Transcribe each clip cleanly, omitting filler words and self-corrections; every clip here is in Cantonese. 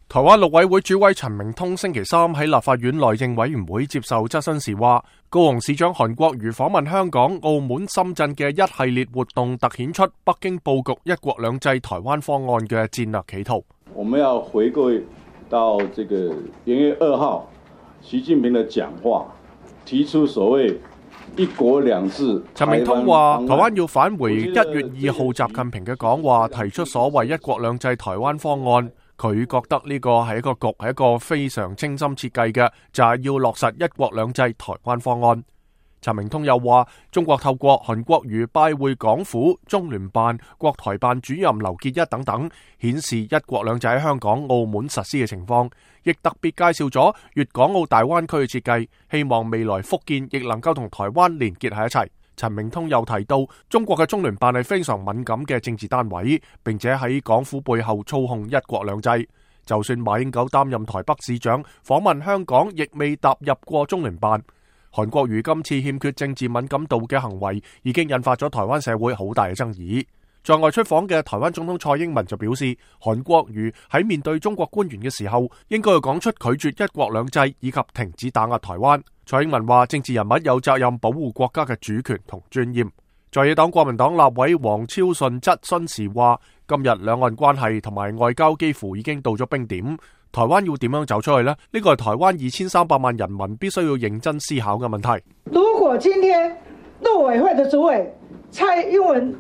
台灣陸委會主委陳明通星期三喺立法院內政委員會接受質詢時話，高雄市長韓國瑜訪問香港、澳門、深圳嘅一系列活動，凸顯出北京布局一國兩制台灣方案嘅戰略企圖。我們要回歸到這個元月2號習近平的講話，提出所謂一國兩制。陳明通話，台灣要返回1月2號習近平嘅講話，提出所謂一國兩制台灣方案。佢覺得呢個係一個局，係一個非常精心設計嘅，就係要落實一國兩制台灣方案。陳明通又話，中國透過韓國瑜拜會港府、中聯辦、國台辦主任劉結一等等，顯示一國兩制喺香港、澳門實施嘅情況，亦特別介紹咗粵港澳大灣區嘅設計，希望未來福建亦能夠同台灣連結喺一齊。陳明通又提到，中國嘅中聯辦係非常敏感嘅政治單位，並且喺港府背後操控一國兩制。就算馬英九擔任台北市長，訪問香港，亦未踏入過中聯辦。韓國瑜今次欠缺政治敏感度嘅行為，已經引發咗台灣社會好大嘅爭議。在外出訪嘅台灣總統蔡英文就表示，韓國瑜喺面對中國官員嘅時候，應該要講出拒絕一國兩制以及停止打壓台灣。蔡英文話，政治人物有責任保護國家嘅主權同尊嚴。在野黨國民黨立委黃超順質詢時話，今日兩岸關係同埋外交幾乎已經到咗冰點，台灣要點樣走出去呢？呢個係台灣2300萬人民必須要認真思考嘅問題。如果今天陸委會的主委蔡英文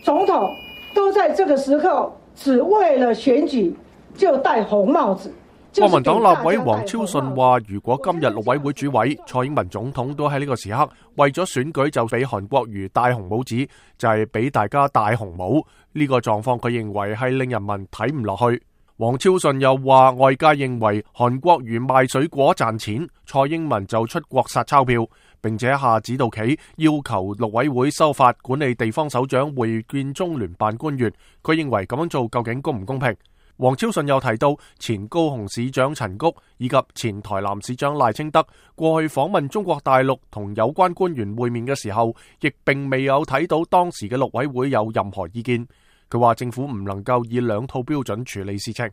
總統都在這個時候只為了選舉就戴紅帽子。國民黨立委黃超順話，如果今日陸委會主委蔡英文總統都喺呢個時刻為咗選舉就俾韓國瑜戴紅帽子，就係俾大家戴紅帽，呢個狀況佢認為係令人民睇唔落去。黃超順又話，外界認為韓國瑜賣水果賺錢，蔡英文就出國撒鈔票，並且下指導棋要求陸委會修法管理地方首長會見中聯辦官員，佢認為咁樣做究竟公唔公平？黃超順又提到，前高雄市長陳菊以及前台南市長賴清德過去訪問中國大陸同有關官員會面嘅時候，亦並未有睇到當時嘅陸委會有任何意見。佢話政府唔能夠以兩套標準處理事情。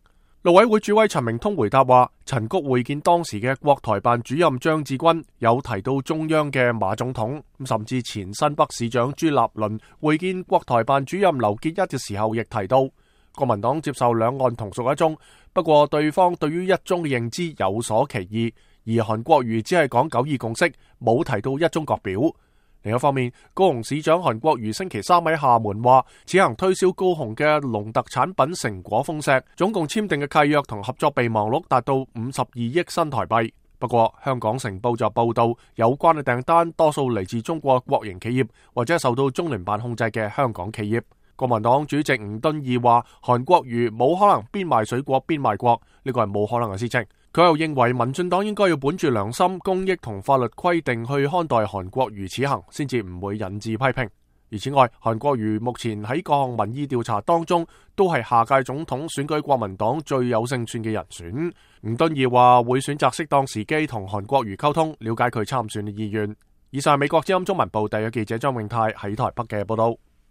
陸委會主委陳明通回答話，陳菊會見當時嘅國台辦主任張志軍，有提到中央嘅馬總統，甚至前新北市長朱立倫會見國台辦主任劉結一嘅時候，亦提到國民黨接受兩岸同屬一中，不過對方對於一中嘅認知有所歧義，而韓國瑜只係講九二共識，冇提到一中各表。另一方面，高雄市長韓國瑜星期三喺廈門話，此行推銷高雄嘅農特產品成果豐碩，總共簽訂嘅契約同合作備忘錄達到52億新台幣。不過，香港成報就報道，有關嘅訂單多數嚟自中國國營企業或者受到中聯辦控制嘅香港企業。國民黨主席吳敦義話，韓國瑜冇可能邊賣水果邊賣國，呢個係冇可能嘅事情。佢又認為民進黨應該要本住良心、公益同法律規定去看待韓國瑜此行，先至唔會引致批評。而此外，韓國瑜目前喺各項民意調查當中，都係下屆總統選舉國民黨最有勝算嘅人選。吳敦義話會選擇適當時機同韓國瑜溝通，了解佢參選嘅意願。以上係美國之音中文部第一記者張永泰喺台北嘅報道。